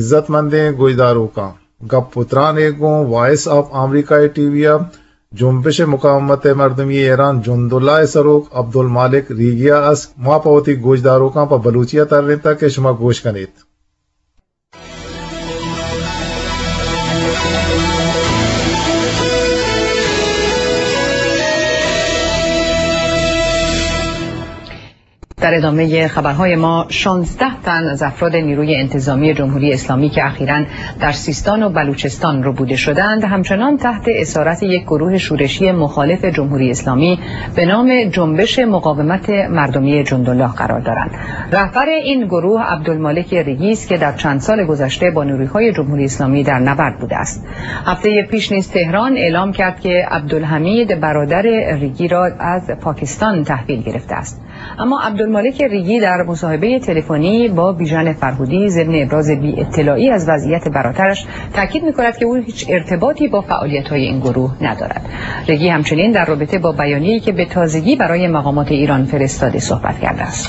عزت مندیں گوشداروکاں، گپ ءُ تران ءَ گوں وائس آف امریکہ ءِ ٹی وی ءَ جنبش مقاومت مردمی ایران جند اللہ ءِ سروک عبدالمالک ریگی ءَ است۔ ما پہ وتی گوشداروکاں پہ بلوچی ءَ ترینتگ کہ شما گوش کن ایت۔ در ادامهٔ خبرهای ما، شانزده تن از افراد نیروی انتظامی جمهوری اسلامی که اخیراً در سیستان و بلوچستان ربوده شدند، همچنان تحت اسارت یک گروه شورشی مخالف جمهوری اسلامی به نام جنبش مقاومت مردمی جندالله قرار دارند. رهبر این گروه عبدالمالک ریگی است که در چند سال گذشته با نیروهای جمهوری اسلامی در نبرد بوده است. هفتهٔ پیش نیز تهران اعلام کرد که عبدالحمید برادر ریگی را از پاکستان تحویل گرفته است. اما عبدالمالک ریگی در مصاحبهٔ تلفنی با بیژن فرهودی ضمن ابراز بی‌اطلاعی از وضعیت برادرش تاکید می‌کند که او هیچ ارتباطی با فعالیت‌های این گروه ندارد. ریگی همچنین در رابطه با بیانیه‌ای که به تازگی برای مقامات ایران فرستاده صحبت کرده است.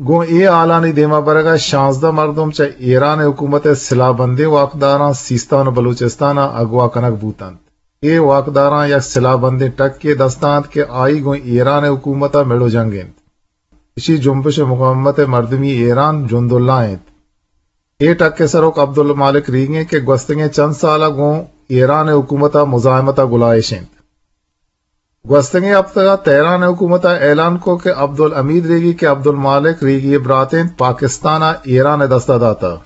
گوں اے حالانی دیما برگا شانزدہ مردم چہ ایران حکومت ءِ سلاہ بندیں واکداراں سیستان و بلوچستان ءَ اغوا کنگ بوتنت۔ اے واکداراں یک سلاہ بندیں ٹکے دستا انت کہ آئی گوں ایران حکومت ءَ مڑ و جنگ انت۔ اشی جنبش مقاومت مردمی ایران جنداللہ انت۔ اے ٹک ءِ سروک عبدالمالک ریگی انت کہ گوستگیں چند سال ءَ گوں ایران حکومت ءَ مزاحمت ءَ گلائیش انت۔ گوستگیں ہپتگ ءَ تہران ءِ حکومت ءَ اعلان کت کہ عبدالحمید ریگی کہ عبدالمالک ریگی ءِ برات انت، پاکستان ءَ ایران ءِ دست ءَ داتگ۔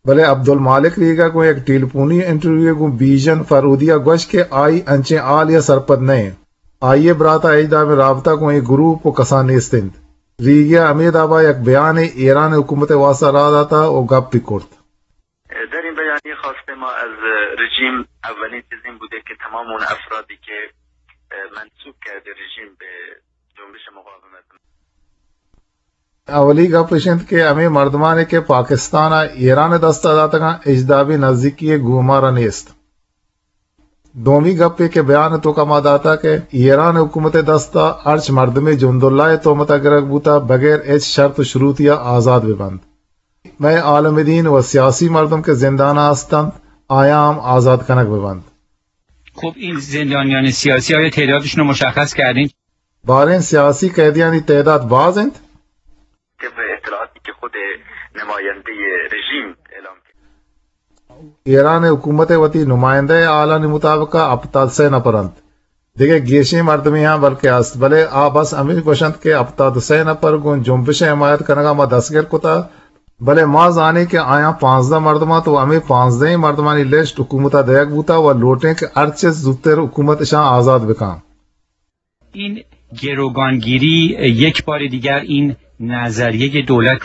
بلے عبدالمالک ریگی ءَ گوں یک ٹیلیفونی انٹرویو ءَ گوں بیژن فرودی ءَ گوشت کہ آئی انچیں حالے ءَ سرپد نہ انت۔ آئی ءِ برات ءَ ہچ دابیں رابطہ گوں اے گروپ و کسان نیست انت۔ ریگی ءَ ہمے داب ءَ یک بیانے ایران حکومت ءِ واستہ راہ داتگ و گپ بہ کرت۔ در این بیانیهٔ خواسته ما از رژیم اولین چیز این بوده که تمام اون افرادی که منسوب کرده رژیم به جنبش مقاومت. اولی گپ اش انت کہ ہمے مردمانے کہ پاکستان ءَ ایران ءِ دست ءَ داتگاں، ہچ دابیں نزیکی گوں مارا نیست۔ دومی گپے کہ بیان ءِ توکا ما داتا کہ ایران حکومت ءِ دست ءَ ہرچ مردمے جنداللہ ءِ تہمت ءَ گرگ بوتا، بغیر ہچ شرط و شروطی ءَ آزاد بہ بنت۔ مئے عالم دین و سیاسی مردم کہ زندان ءَ ہست انت، آیاں ہم آزاد کنگ بہ بنت۔ خب، این زندانیان سیاسی، آیا تعدادشون رو مشخص کردین؟ باریں سیاسی قیدیانی تعداد باز انت؟ طبق اطلاعاتی که خود نمایندهٔ رژیم اعلام کرد. ایران حکومت ءِ وتی نمائندہ ءِ حالانی مطابق ءَ ہپتاد سئے نفر انت۔ دگہ گیشیں مردمے ہاں بلکہ است، بلے آ بس ہمیش گوشنت کہ ہپتاد سئے نفر گوں جنبش ءِ حمایت کنگ ءَ ما دستگر کتا، بلے ما زانیں کہ آیاں پانزدہ مردم انت و ہمے پانزدہیں مردمانی لسٹ حکومت ءَ دئیگ بوتا و لوٹیں کہ ہرچ زوتر حکومت اشاں آزاد بکن۔ این گروگانگیری یک بار دیگر این نظریهٔ دولت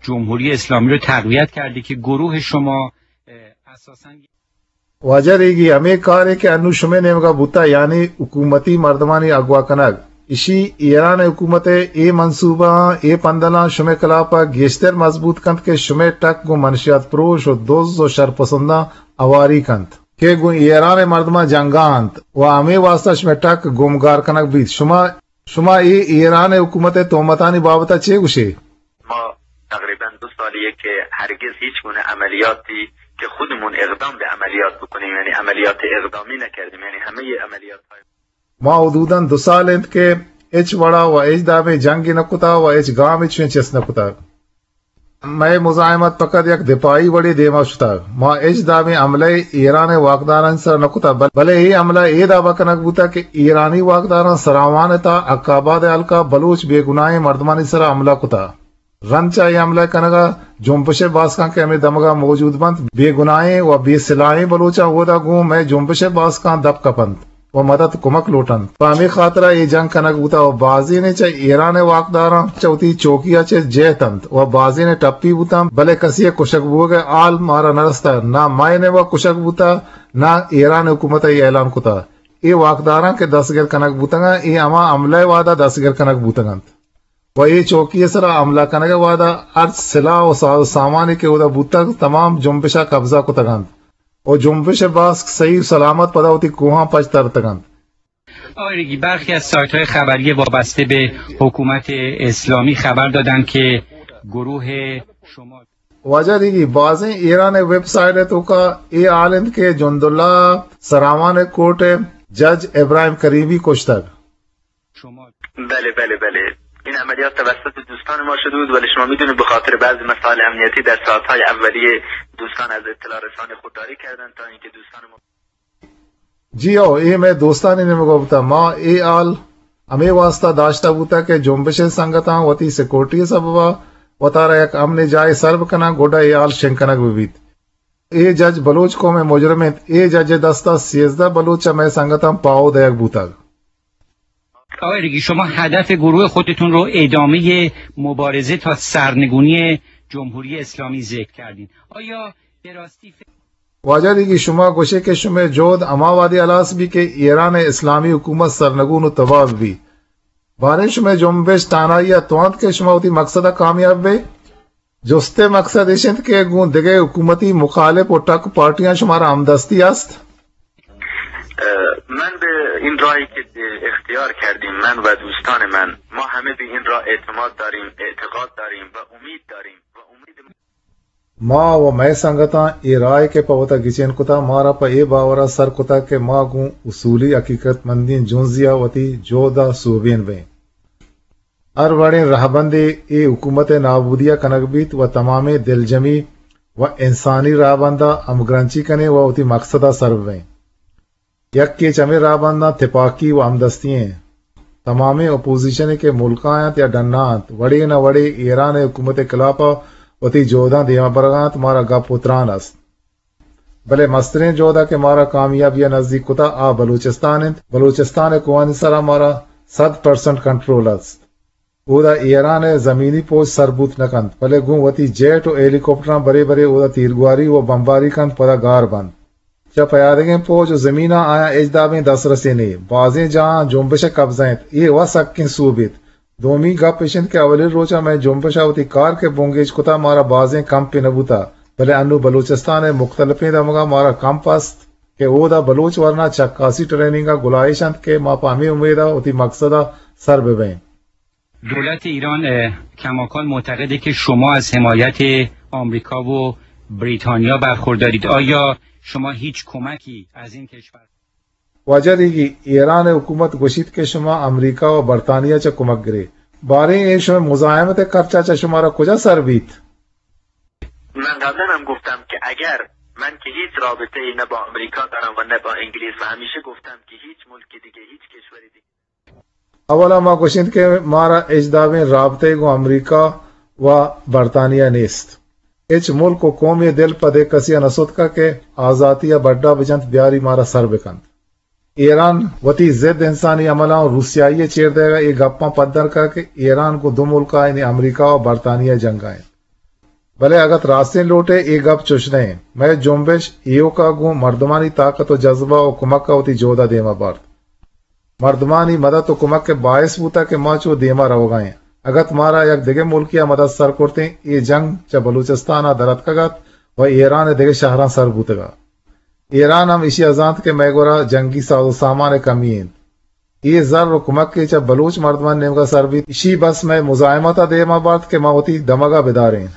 جمهوری اسلامی رو تقویت کرده که گروه شما، اه، اساساً واجہ ریگی، ہمے کارے کہ انو شمے نیمگا بوتا، یعنی حکومتی مردمانی اغوا کنگ، اشی ایران حکومت ءِ اے منصوبہ آں، اے پندلاں شمے خلاف ءَ گیشتر مضبوط کنت کہ شمے ٹک گوں منشیات پروش و دز و شرپسنداں اواری کنت۔ کہ گوں ایران ءِ مردماں جنگا انت و ہمے واسطہ شمئے ٹک گمگار کنگ بیت۔ شما، شما اے ایران ءِ حکومت ءِ تہمتانی بابت ءَ چے گوشے؟ ما تقریباً دو سالیه که هرگز هیچ گونه عملیاتی که خودمون اقدام به عملیات بکنیم، یعنی عملیات اقدامی نکردیم، یعنی همهٔ عملیات های ما حدوداً دو سال انت کہ ہچ وڑا و ہچ دابیں جنگے نہ کتا و ہچ گامے چویں چست نہ کتا۔ مئے مزاحمت فقط یک دفاعی وڑے دیما شتگ۔ ما ہچ دابیں حملہ ایران ءِ واکدارانی سرا نہ کتگ، بل-، بلے اے حملہ اے دابا کنگ بوتگ کہ ایرانی واکداراں سراوان ءِ تہا حق آباد ءِ ہلکا بلوچ بے گناہیں مردمانی سرا حملہ کتگ۔ رند چہ اے حملہ کنگا جنبش ءِ باسکاں کہ ہمے دمگا موجود بنت، بے گناہیں و بے سلاہیں بلوچاں اودا گوں مئے جنبش ءِ باسکاں دپ کپنت و مدد کمک لوٹنت۔ پہ ہمے خاطرا اے جنگ کنگ بوتگ و بازینے چہ ایران ءِ واکداراں چہ وتی چوکی ءَ چہ جہت انت و بازینے ٹپی بوتاں، بلے کسی ءِ کشگ بوگ ءِ حال مارا نہ رستگ، نہ مئے نیمگا کشگ بوتگ، نہ ایران حکومت ءَ اے اعلان کتگ۔ اے واکداراں کہ دستگر کنگ بوتگاں، اے ہما حملہ ءِ وہدا دستگر کنگ بوتگ انت و اے چوکی ءِ سرا حملہ کنگ ءِ وہدا ہرچ سلاہ و ساز و سامانے کہ اودا بوتگ، تمام جنبش ءَ قبضہ کتگ انت و جنبش ءِ باسک صحیح و سلامت پدا وتی کوہاں پچ ترتگ انت۔ آقای ریگی، برخی از سایت‌های خبری وابسته به حکومت اسلامی خبر دادند که گروہ شما۔ واجہ دیگی، بازیں ایران ءِ ویب سائٹ ءِ توکا اے حال انت کہ جند اللہ سراوان ءِ کورٹ ءِ جج ابراہیم کریمی کشتگ۔ شما۔ بله، بله، بله. این عملیات توسط دوستان ما شده بود، ولی شما می‌دونید به خاطر بعضی مسائل امنیتی در ساعت‌های اولیه دوستان از اطلاع رسانی خودداری کردند تا اینکه دوستان ما جی ہو، اے مئے دوستانی نیمگا بوتا۔ ما اے حال ہمے واسطہ داشتہ بوتا کہ جنبش ءِ سنگتاں وتی سیکورٹی ءِ سببا وتارا یک امن جاہے سر بکناں، گڈا اے حال شنگ کنگ بہ بیت۔ اے جج بلوچ قوم ءِ مجرم انت۔ اے جج ءِ دستا سیزدہ بلوچ چہ مئے سنگتاں پاہو دئیگ بوتگ۔ آقای ریگی، شما هدف گروه خودتون رو ادامهٔ مبارزه تا سرنگونی جمهوری اسلامی ذکر کردین. آیا به راستی فکر واجہ ریگی، شما گوشے کہ شمئے جہد ہما وہدی ہلاس بی کہ ایران ءِ اسلامی حکومت سرنگون و تباہ بی۔ باریں شمئے جنبش تہنائی ءَ توانت کہ شما وتی مقصد ءَ کامیاب بے؟ جست ءِ مقصد ایش انت کہ گوں دگہ حکومتی مخالف و ٹک پارٹیاں شمارا ہمدستی است؟ اه، من به این راهی که اختیار کردیم، من و دوستان من، ما همه به این راه اعتماد داریم، اعتقاد داریم و امید داریم و امید ما و مئے سنگتاں اے راہ ءَ کہ پہ وتا گچین کتا، مارا پہ اے باور ءَ سر کتا کہ ما گوں اصولی حقیقت مندیں جنزی ءَ وتی جہد ءَ سوبین بیں۔ ہر وڑیں رہبندے اے حکومت ءِ نابودی ءَ کنگ بیت و تمامیں دلجمی و انسانی رہبند ءَ ہمگرنچی کنیں و وتی مقصد ءَ سر ببیں۔ یکے چہ ہمے رہبنداں تپاکی و ہمدستی ایں۔ تمامیں اپوزیشن کہ ملک ءَ انت یا ڈن ءَ انت، وڑے نہ وڑے ایران ءِ حکومت ءِ خلاف ءَ وتی جہداں دیما برگ ءَ انت، مارا گپ و تران است۔ بلے مستریں جہد ءَ کہ مارا کامیابی ءَ نزیک کتا، آ بلوچستان انت۔ بلوچستان ءِ کوہانی سرا مارا صد پرسنٹ کنٹرول است۔ اودا ایران ءِ زمینی پوج سر بوت نہ کنت، بلے گوں وتی جیٹ و ہیلی کاپٹراں برے برے اودا تیرگواری و بمباری کنت، پدا گار بنت۔ چہ پیادگیں پوج و زمیناں آیاں ہچ دابیں دسترسے نے۔ بازیں جاہاں جنبش ءِ قبضہ انت، اے و سکیں سوبیت۔ دومی گپ اش انت کہ اولی روچ ءَ مئے جنبش ءَ وتی کار کہ بنگیج کتا، مارا بازیں کمپے نہ بوتا، بلے انوں بلوچستان ءِ مختلفیں دمگاں مارا کمپ است کہ اودا بلوچ ورنا چکاسی ٹریننگ ءَ گلائیش انت کہ ما پہ ہمے امید ءَ وتی مقصد ءَ سر ببیں۔ دولت ایران، اه، کماکان معتقده که شما از حمایت آمریکا و بریتانیا برخوردارید. آیا شما هیچ کمکی از این کشور واجہ ریگی، ایران ءِ حکومت گوشیت کہ شما امریکہ و برطانیہ چہ کمک گرے۔ باریں اے شمئے مزاحمت ءِ خرچہ چہ شمارا کجا سر بیت؟ من قبلاً هم گفتم که اگر من که هیچ رابطه‌ای نه با آمریکا دارم و نه با انگلیس و همیشه گفتم که هیچ ملک دیگه، هیچ کشور دیگه اولا ما گوشنت کہ مارا ہچ دابیں رابطہ گوں امریکہ و برطانیہ نیست۔ ہچ ملک و قومے دل پہ دگہ کسی ءَ نہ ستکا کہ آزاتی ءَ بڈا بجنت، بیاری مارا سر بکنت۔ ایران وتی ضد انسانی عملاں و روسیائی ءِ چیر دئیگ ءَ اے گپاں پدر کا کہ ایران گوں دو ملک ءَ یعنی امریکہ و برطانیہ جنگ ءَ انت۔ بلے اگت راستیں لوٹے اے گپ چش نہ انت۔ مئے جنبش ایوک ءَ گوں مردمانی طاقت و جذبہ و کمک ءَ وتی جہد ءَ دیما بارت۔ مردمانی مدد و کمک ءِ باعث بوتگ کہ ما چو دیما روگا ایں۔ اگت مارا یک دگہ ملکے ءَ مدد سر کرتیں، اے جنگ چہ بلوچستان ءَ در اتکگ ات و ایران ءِ دگہ شہراں سر بوتگ ات۔ ایران ہم ایشی ءَ زانت کہ مئے گورا جنگی ساز و سامان ءِ کمی انت۔ اے زر و کمکے چہ بلوچ مردمانی نیمگا سر بیت، ایشی بس مئے مزاحمت ءَ دیما بارت کہ ما وتی دمگا بداریں۔